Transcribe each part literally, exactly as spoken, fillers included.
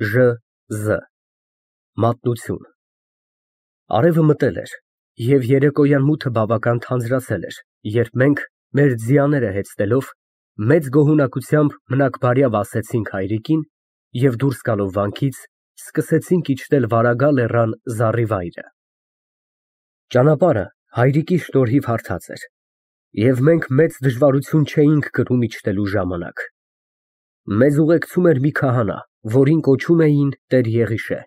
Ժ Զ Մատնություն Արևը մտել էր և երեկոյան մութը բավական թանձրացել էր, երբ մենք, մեր ձիաները հեծնելով, մեծ գոհունակությամբ մնաքբարյավ ասեցինք հայրիկին և դուրս գալով վանքից, սկսեցինք իջնել Վարագա լեռան զառիվայրը։ Ճանապարհը հայրիկի շնորհիվ հարթած էր, և մենք մեծ դժվարություն չէինք կրում իջնելու ժամանակ։ Մեզ ուղեկցում էր մի քահանա, որին կոչում էին տեր Եղիշե։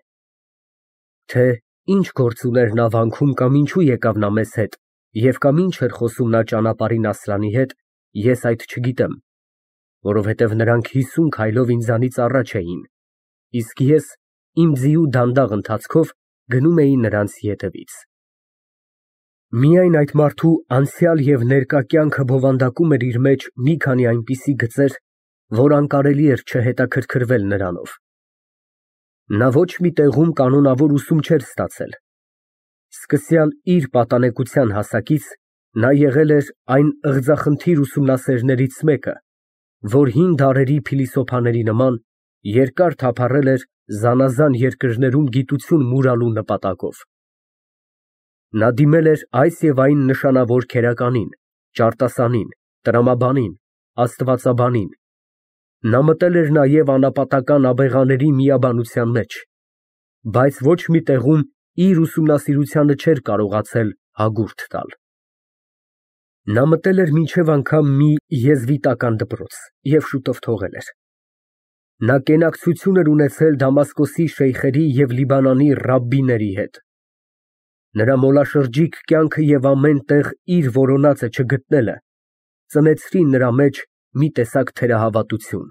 Թե ինչ գործ ուներ նա վանքում կամ ինչու եկավ նա մեզ հետ և կամ ինչ էր խոսում նա ճանապարհին Ասլանի հետ, ես այդ չգիտեմ, որովհետև նրանք հիսուն քայլով ինձանից առաջ էին, իսկ ես իմ ձիու դանդաղ ընթացքով գնում էի նրանց ետևից։ Միայն այդ մարդու անցյալ և ներկա կյանքը բովանդակում էր իր մեջ մի քանի այնպիսի գծեր, որ անկարելի էր չհետաքրքրվել նրանով։ Նա ոչ մի տեղում կանոնավոր ուսում չէր ստացել։ Սկսյալ իր պատանեկության հասակից նա եղել էր այն ըղձախնդիր ուսումնասերներից մեկը, որ հին դարերի փիլիսոփաների նման երկար թափառել էր զանազան երկրներում գիտություն մուրալու նպատակով։ Նա դիմել էր այս և այն նշանավոր քերականին, ճարտասանին, տրամաբանին, աստվածաբանին։ Նա մտել էր նաև անապատական աբեղաների միաբանության մեջ, բայց ոչ մի տեղում իր ուսումնասիրությանը չէր կարողացել հագուրդ տալ։ Նա մտել էր մինչև անգամ մի եզվիտական դպրոց և շուտով թողել էր։ Նա կենակցություն էր ունեցել Դամասկոսի շեյխերի և Լիբանանի ռաբբիների հետ։ Նրա մոլաշրջիկ կյանքը և ամեն տեղ իր որոնածը չգտնելը ծնեցրին նրա մեջ մի տեսակ թերահավատություն,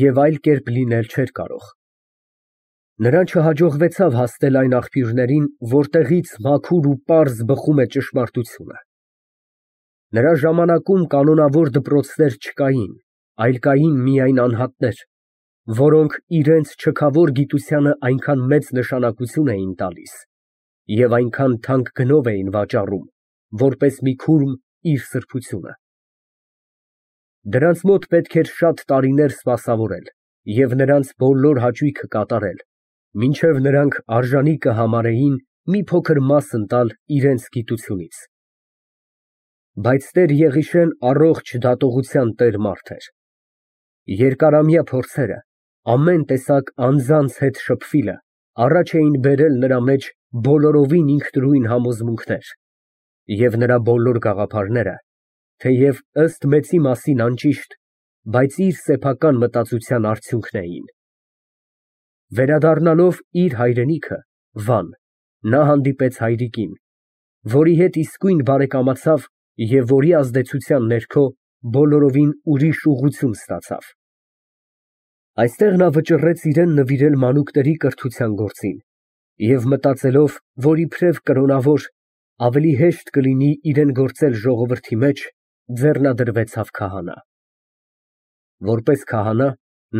և այլ կերպ լինել չէր կարող։ Նրան չհաջողվեցավ հասնել այն աղբյուրներին, որտեղից մաքուր ու պարզ բխում է ճշմարտությունը։ Նրա ժամանակում կանոնավոր դպրոցներ չկային, այլ կային միայն անհատներ, որոնք իրենց չքավոր գիտությանը այնքան մեծ նշանակություն էին տալիս և այնքան թանկ գնով էին վաճառում, որպես մի քուրմ իր սրբությունը։ Դրանց մոտ պետք էր շատ տարիներ սպասավորել և նրանց բոլոր հաճույքը կատարել, մինչև նրանք արժանի կհամարեին մի փոքր մասն տալ իրենց գիտությունից։ Բայց տեր Եղիշեն առողջ դատողության տեր մարդ էր։ Երկարամյա փորձերը, ամեն տեսակ անձանց հետ շփվիլը առաջ էին բերել նրա մեջ բոլորովին ինքնուրույն համոզմունքներ, և նրա բոլոր գաղափարները, թեև ըստ մեծի մասին անճիշտ, բայց իր սեփական մտածության արդյունքն էին։ Վերադառնալով իր հայրենիքը, Վան, նա հանդիպեց հայրիկին, որի հետ իսկույն բարեկամացավ և որի ազդեցության ներքո բոլորովին ուրիշ ուղղություն ստացավ։ Այստեղ նա վճռեց իրան նվիրել մանուկների կրթության գործին և մտածելով, որ իբրև կրոնավոր, ավելի հեշտ կլինի իրան գործել ժողովրդի մեջ, ձեռնադրվեցավ քահանա։ Որպես քահանա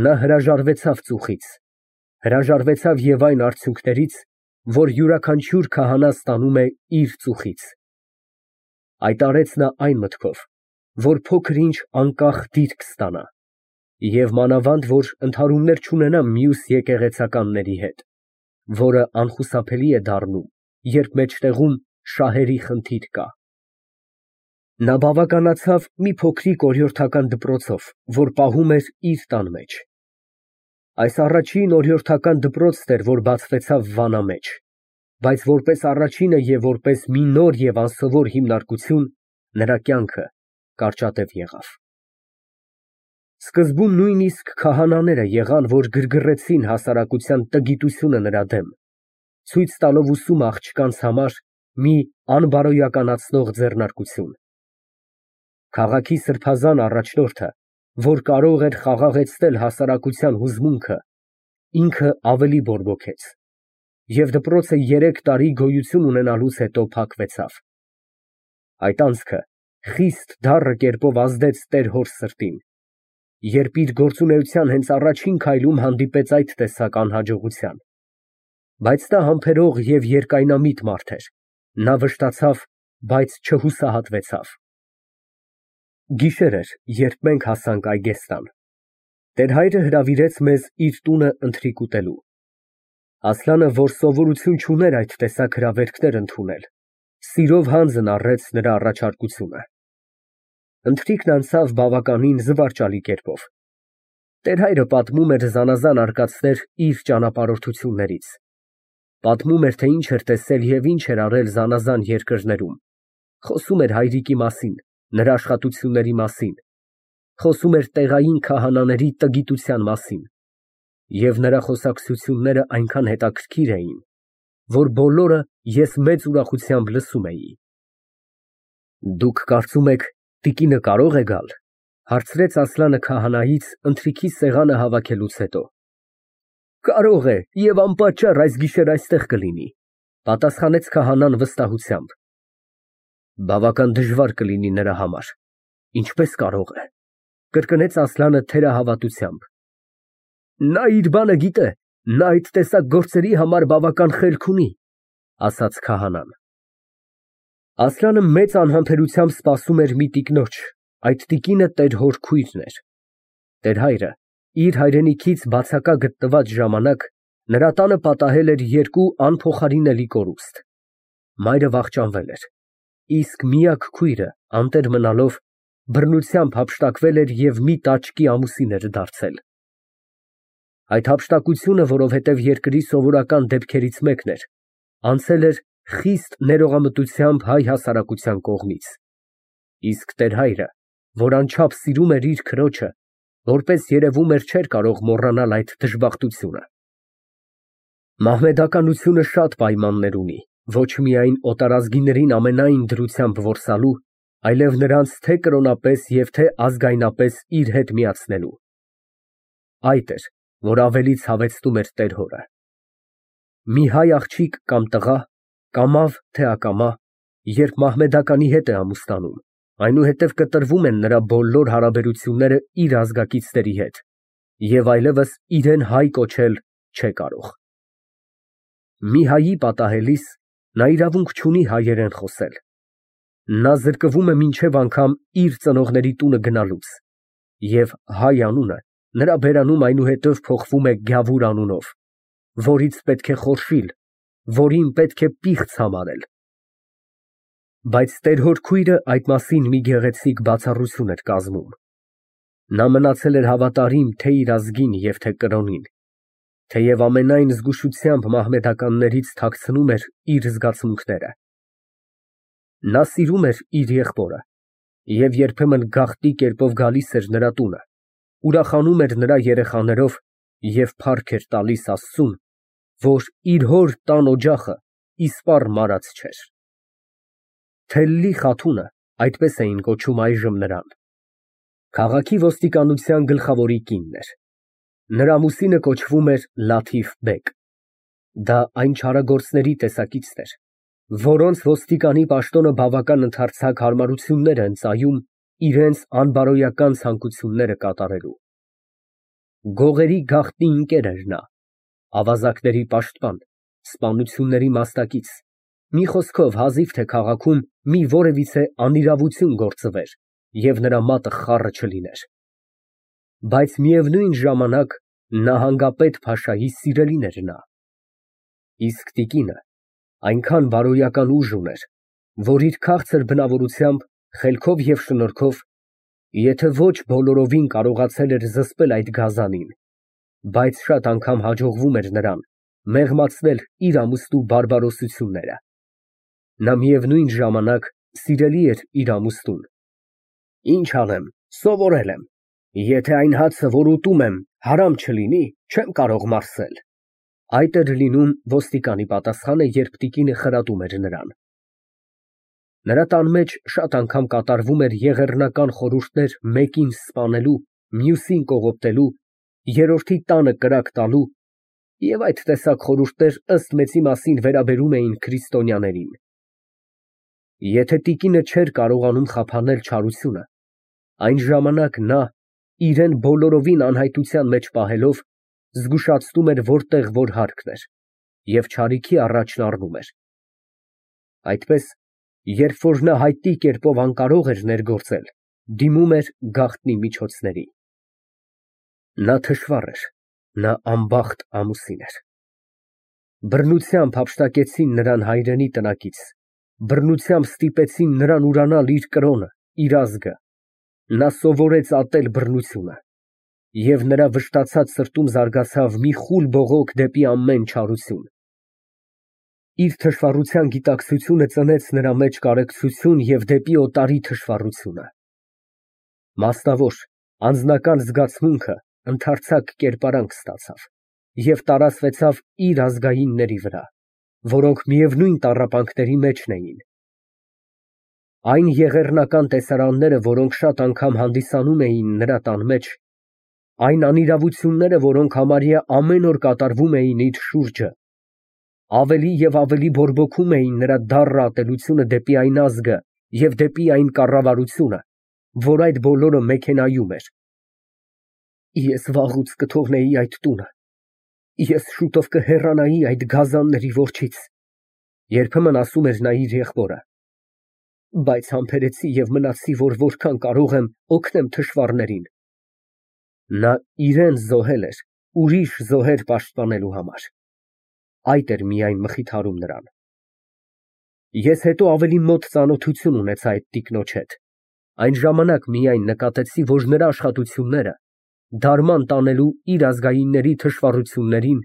նա հրաժարվեցավ ծուխից, հրաժարվեցավ և այն արդյունքներից, որ յուրաքանչյուր քահանա ստանում է իր ծուխից։ Այդ արեց նա այն մտքով, որ փոքր֊ինչ անկախ դիրք ստանա, և մանավանդ որ ընդհարումներ չունենա մյուս եկեղեցականների հետ, որը անխուսափելի է դառնում, երբ մեջտեղում շահերի խնդիր կա։ Նա բավականացավ մի փոքրիկ օրիորդական դպրոցով, որ պահում էր իր տան մեջ։ Այս առաջին օրիորդական դպրոցն էր, որ բացվեցավ Վանա մեջ, բայց որպես առաջինը և որպես մի նոր և անսովոր հիմնարկություն, նրա կյանքը կարճատև եղավ։ Սկզբում նույնիսկ քահանաները եղան, որ գրգռեցին հասարակության տգիտությունը նրա դեմ, ցույց տալով ուսումը աղջկանց համար մի անբարոյականացնող ձեռնարկություն։ Քաղաքի սրբազան առաջնորդը, որ կարող էր խաղաղեցնել հասարակության հուզմունքը, ինքը ավելի բորբոքեց, և դպրոցը երեք տարի գոյություն ունենալուց հետո փակվեցավ։ Այդ անցքը խիստ դառը կերպով ազդեց տեր֊հոր սրտին, երբ իր գործունեության հենց առաջին քայլում հանդիպեց այդ տեսակ անհաջողության։ Բայց նա համբերող և երկայնամիտ մարդ էր, նա վշտացավ, բայց չհուսահատվեցավ։ Գիշեր էր, երբ մենք հասանք Այգեստան։ Տեր-հայրը հրավիրեց մեզ իր տունը ընթրիք ուտելու։ Ասլանը, որ սովորություն չուներ այդ տեսակ հրավերքներ ընդունել, սիրով հանձն առեց նրա առաջարկությունը։ Ընթրիքն անցավ բավականին զվարճալի կերպով։ Տեր-հայրը պատմում էր զանազան արկածներ իր ճանապարհորդություններից, պատմում էր, թե ինչ էր տեսել և ինչ էր արել զանազան երկրներում, խոսում էր հայրիկի մասին, նրա աշխատությունների մասին, խոսում էր տեղային քահանաների տգիտության մասին, և նրա խոսակցությունները այնքան հետաքրքիր էին, որ բոլորը ես մեծ ուրախությամբ լսում էի։ Դուք կարծում եք, տիկինը կարո՞ղ է գալ, հարցրեց Ասլանը քահանայից ընթրիքի սեղանը հավաքելուց հետո։ Կարող է և անպատճառ այս գիշեր այստեղ կլինի, պատասխանեց քահանան վստահությամբ։ Բավական դժվար կլինի նրա համար։ Ինչպես կարող է, կրկնեց Ասլանը թերահավատությամբ։ Նա իր բանը գիտե, նա այդ տեսակ գործերի համար բավական խելք ունի, ասաց քահանան։ Ասլանը մեծ անհամբերությամբ սպասում էր մի տիկնոջ, այդ տիկինը տեր֊հոր քույրն էր։ Տեր֊հայրը իր հայրենիքից բացակա գտնված ժամանակ նրա տանը պատահել էր երկու անփոխարինելի կորուստ։ Մայրը վախճանվել էր, իսկ միակ քույրը, անտեր մնալով, բռնությամբ հափշտակվել էր և մի տաճկի ամուսին էր դարձել։ Այդ հափշտակությունը, որովհետև երկրի սովորական դեպքերից մեկն էր, անցել էր խիստ ներողամտությամբ հայ հասարակության կողմից, իսկ տեր֊հայրը, որ անչափ սիրում էր իր քրոջը, որպես երևում էր, չէր կարող մոռանալ այդ դժբախտությունը։ Մահմեդականությունը շատ պայմաններ ունի, ոչ միայն օտարազգիներին ամենայն դրությամբ որսալու, այլև նրանց թե կրոնապես և թե ազգայնապես իր հետ միացնելու։ Այդ էր, որ ավելի ցավեցնում էր տեր֊հորը։ Մի հայ աղջիկ կամ տղա, կամավ թե ակամա, երբ մահմեդականի հետ է ամուսնանում, այնուհետև կտրվում են նրա բոլոր հարաբերությունները իր ազգակիցների հետ, և այլևս իրեն հայ կոչել չէ կարող։ Մի հայի պատահելիս նա իրավունք չունի հայերեն խոսել։ Նա զրկվում է մինչև անգամ իր ծնողների տունը գնալուց, և հայ անունը նրա բերանում այնուհետև փոխվում է Գյավուր անունով, որից պետք է խորշիլ, որին պետք է պիղծ համարել։ Բայց տեր֊հոր քույրը այդ մասին մի գեղեցիկ բացառություն էր կազմում։ Նա մնացել էր հավատարիմ թե իր ազգին և թե կրոնին, թեև ամենայն զգուշությամբ մահմեդականներից թաքցնում էր իր զգացմունքները։ Նա սիրում էր իր եղբորը և երբեմն գաղտնի կերպով գալիս էր նրա տունը, ուրախանում էր նրա երեխաներով և փառք էր տալիս Աստծուն, որ իր հոր տան օջախը իսպառ մարած չէր։ Թելլի խաթունը, այդպես էին կոչում այժմ նրան, քաղաքի ոստիկանության գլխավորի կինն էր։ Նրա ամուսինը կոչվում էր Լաթիֆ֊բեգ։ Դա այն չարագործների տեսակիցն էր, որոնց ոստիկանի պաշտոնը բավական ընդարձակ հարմարություններ է ընծայում իրենց անբարոյական ցանկությունները կատարելու։ Գողերի գաղտնի ընկեր էր նա, ավազակների պաշտպան, սպանությունների մասնակից, մի խոսքով հազիվ թե քաղաքում մի որևիցե անիրավություն գործվեր և նրա մատը խառը չլիներ։ Բայց միևնույն ժամանակ նահանգապետ փաշայի սիրելին էր նա։ Իսկ տիկինը այնքան բարոյական ուժ ուներ, որ իր քաղցր բնավորությամբ, խելքով և շնորհքով, եթե ոչ բոլորովին կարողացել էր զսպել այդ գազանին, բայց շատ անգամ հաջողվում էր նրան մեղմացնել իր ամուստու բարբարոսությունները։ Նա միևնույն ժամանակ սիրելի էր իր ամուստուն։ Ինչ անեմ, սովորել եմ, եթե այն հացը, որ ուտում եմ, հարամ չլինի, չեմ կարող մարսել։ Այդ էր լինում ոստիկանի պատասխանը, երբ տիկինը խրատում էր նրան։ Նրա տան մեջ շատ անգամ կատարվում էր եղեռնական խորհուրդներ մեկին սպանելու, մյուսին կողոպտելու, երրորդի տանը կրակ տալու, և այդ տեսակ խորհուրդներ ըստ մեծի մասին վերաբերում էին քրիստոնյաներին։ Եթե տիկինը չէր կարողանում խափանել չարությունը, այն ժամանակ նա, իրեն բոլորովին անհայտության մեջ պահելով, զգուշացնում էր որտեղ որ հարկն էր և չարիքի առաջն առնում էր։ Այդպես, երբ որ նա հայտնի կերպով անկարող էր ներգործել, դիմում էր գաղտնի միջոցների։ Նա թշվառ էր, նա անբախտ ամուսին էր։ Բռնությամբ հափշտակեցին նրան հայրենի տնակից, բռնությամբ ստիպեցին նրան ուրանալ իր կրոնը, իր ազգը, նա սովորեց ատել բռնությունը, և նրա վշտացած սրտում զարգացավ մի խուլ բողոք դեպի ամեն չարություն։ Իր թշվառության գիտակցությունը ծնեց նրա մեջ կարեկցություն և դեպի օտարի թշվառությունը։ Մասնավոր, անձնական զգացմունքը ընդարձակ կերպարանք ստացավ և տարածվեցավ իր ազգայինների վրա, որոնք միևնույն տառապանքների մեջն էին։ Այն եղեռնական տեսարանները, որոնք շատ անգամ հանդիսանում էին նրա տան մեջ, այն անիրավությունները, որոնք համարյա ամեն օր կատարվում էին իր շուրջը, ավելի և ավելի բորբոքում էին նրա դառը ատելությունը դեպի այն ազգը և դեպի այն կառավարությունը, որ այդ բոլորը մեքենայում էր։ Ես վաղուց կթողնեի այդ տունը, ես շուտով կհեռանայի այդ գազանների որջից, երբեմն ասում էր նա իր եղբորը, բայց համբերեցի և մնացի, որ որքան կարող եմ օգնեմ թշվառներին։ Նա իրան զոհել էր ուրիշ զոհեր պաշտպանելու համար, այդ էր միայն մխիթարում նրան։ Ես հետո ավելի մոտ ծանոթություն ունեցա այդ տիկնոջ հետ, այն ժամանակ միայն նկատեցի, որ նրա աշխատությունները, դարման տանելու իր ազգայինների թշվառություններին,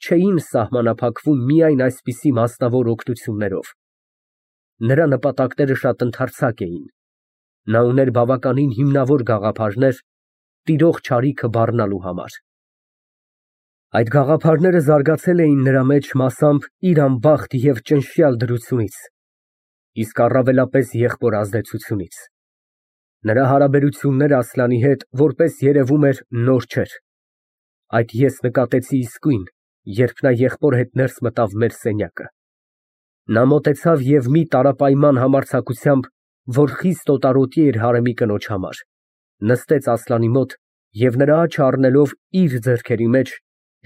չէին սահմանափակվում միայն այսպիսի մասնավոր օգնություններով։ Նրա նպատակները շատ ընդարձակ էին, նա ուներ բավականին հիմնավոր գաղափարներ տիրող չարիքը բառնալու համար։ Այդ գաղափարները զարգացել էին նրա մեջ մասամբ իր անբախտ և ճնշյալ դրությունից, իսկ առավելապես եղբոր ազդեցությունից։ Նրա հարաբերությունները Ասլանի հետ, որպես երևում էր, նոր չէր, այդ ես նկատեցի իսկույն, երբ նա եղբոր հետ ներս մտավ մեր սենյակը։ Նա մոտեցավ և մի տարապայման համարձակությամբ, որ խիստ օտարոտի էր հարեմի կնոջ համար, նստեց Ասլանի մոտ և նրա աչը առնելով իր ձեռքերի մեջ,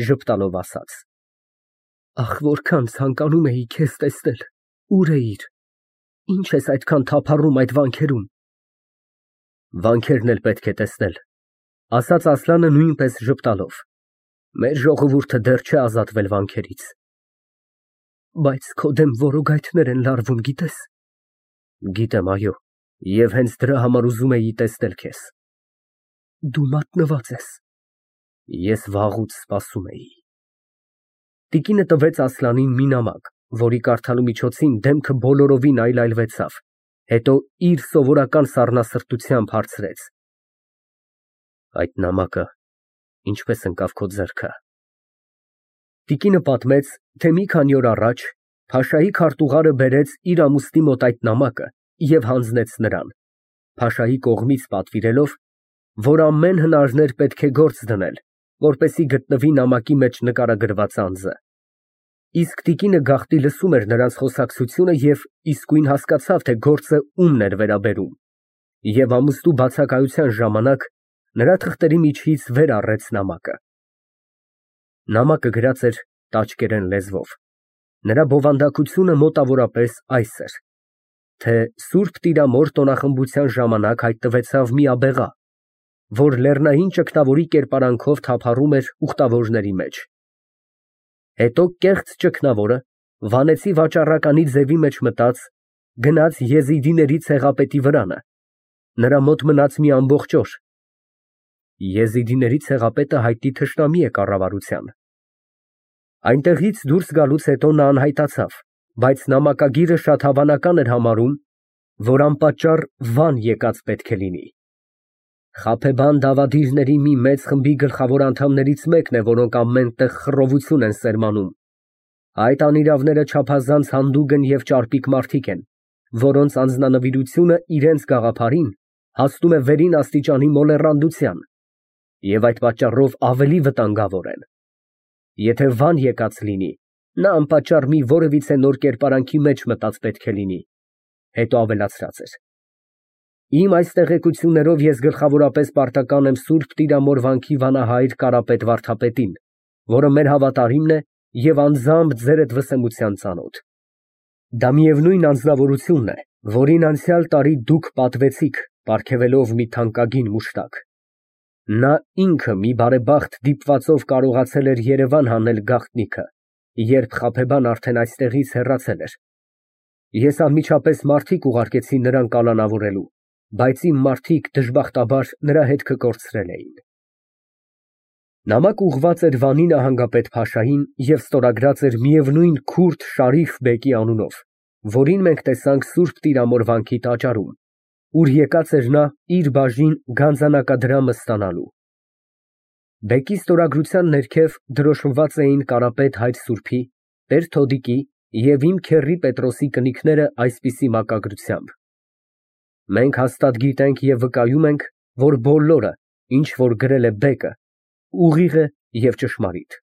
ժպտալով ասաց. Ախ, որքան ցանկանում էի քեզ տեսնել, ուր էիր, ինչ ես այդքան թափառում այդ վանքերում։ Վանքերն էլ պետք է տեսնել, ասաց Ասլանը նույնպես ժպտալով, մեր ժողովուրդը դեռ չէ ազատվել վանքերից։ Բայց քո դեմ որոգայթներ են լարվում, գիտես։ Գիտեմ, այո, և հենց դրա համար ուզում էի տեսնել քեզ։ Դու մատնված ես։ Ես վաղուց սպասում էի։ Տիկինը տվեց Ասլանին մի նամակ, որի կարդալու միջոցին դեմքը բոլորովին այլայլվեցավ, հետո իր սովորական սառնասրտությամբ հարցրեց. Այդ նամակը ինչպես ընկավ քո ձեռքը։ Տիկինը պատմեց, թե մի քանի օր առաջ փաշայի քարտուղարը բերեց իր ամուսնի մոտ այդ նամակը և հանձնեց նրան, փաշայի կողմից պատվիրելով, որ ամեն հնարներ պետք է գործ դնել, որպեսզի գտնվի նամակի մեջ նկարագրված անձը։ Իսկ տիկինը գաղտնի լսում էր նրանց խոսակցությունը և իսկույն հասկացավ, թե գործը ումն էր վերաբերում, և ամուսնու բացակայության ժամանակ նրա թղթերի միջից վեր առեց նամակը։ Նամակը գրած էր տաճկերեն լեզվով։ Նրա բովանդակությունը մոտավորապես այս էր, թե Սուրբ Տիրամոր տոնախմբության ժամանակ հայտնվեցավ մի աբեղա, որ լեռնային ճգնավորի կերպարանքով թափառում էր ուխտավորների մեջ։ Հետո կեղծ ճգնավորը վանեցի վաճառականի ձևի մեջ մտած, գնաց եզիդիների ցեղապետի վրանը, նրա մոտ մնաց մի ամբողջ օր։ Եզիդիների ցեղապետը հայտնի թշնամի է կառավարության։ Այնտեղից դուրս գալուց հետո նա անհայտացավ, բայց նամակագիրը շատ հավանական էր համարում, որ անպատճառ Վան եկած պետք է լինի։ Խաբեբան դավադիրների մի մեծ խմբի գլխավոր անդամներից մեկն է, որոնք ամեն տեղ խռովություն են սերմանում։ Այդ անիրավները չափազանց հանդուգն և ճարպիկ մարդիկ են, որոնց անձնանվիրությունը իրենց գաղափարին հասնում է վերին աստիճանի մոլեռանդության և այդ պատճառով ավելի վտանգավոր են։ Եթե Վան եկած լինի, նա անպատճառ մի որևիցե նոր կերպարանքի մեջ մտած պետք է լինի։ Հետո ավելացրած էր. Իմ այս տեղեկություններով ես գլխավորապես պարտական եմ Սուրբ Տիրամոր վանքի վանահայր Կարապետ վարդապետին, որը մեր հավատարիմն է և անձամբ ձերդ վսեմության ծանոթ։ Դա միևնույն անձնավորությունն է, որին անցյալ տարի դուք պատվեցիք, պարգևելով մի թանկագին մուշտակ։ Նա ինքը մի բարեբախտ դիպվածով կարողացել էր Երևան հանել գաղտնիքը, երբ Խաբեբան արդեն այստեղից հեռացել էր։ Ես անմիջապես մարդիկ ուղարկեցի նրան կալանավորելու, բայց իմ մարդիկ դժբախտաբար նրա հետքը կորցրել էին։ Նամակ ուղղված էր Վանի նահանգապետ֊փաշային և ստորագրած էր միևնույն քուրդ Շարիֆ բեկի անունով, որին մենք տեսանք Սուրբ Տիրամոր վանքի տաճարում, ուր եկած էր նա իր բաժին գանձանակադրամը ստանալու։ Բեկի ստորագրության ներքև դրոշմված էին Կարապետ հայր սուրբի, Տեր Թոդիկի և իմ քեռի Պետրոսի կնիքները այսպիսի մակագրությամբ. «Մենք հաստատ գիտենք և վկայում ենք, որ բոլորը, ինչ որ գրել է բեկը, ուղիղ է և ճշմարիտ»։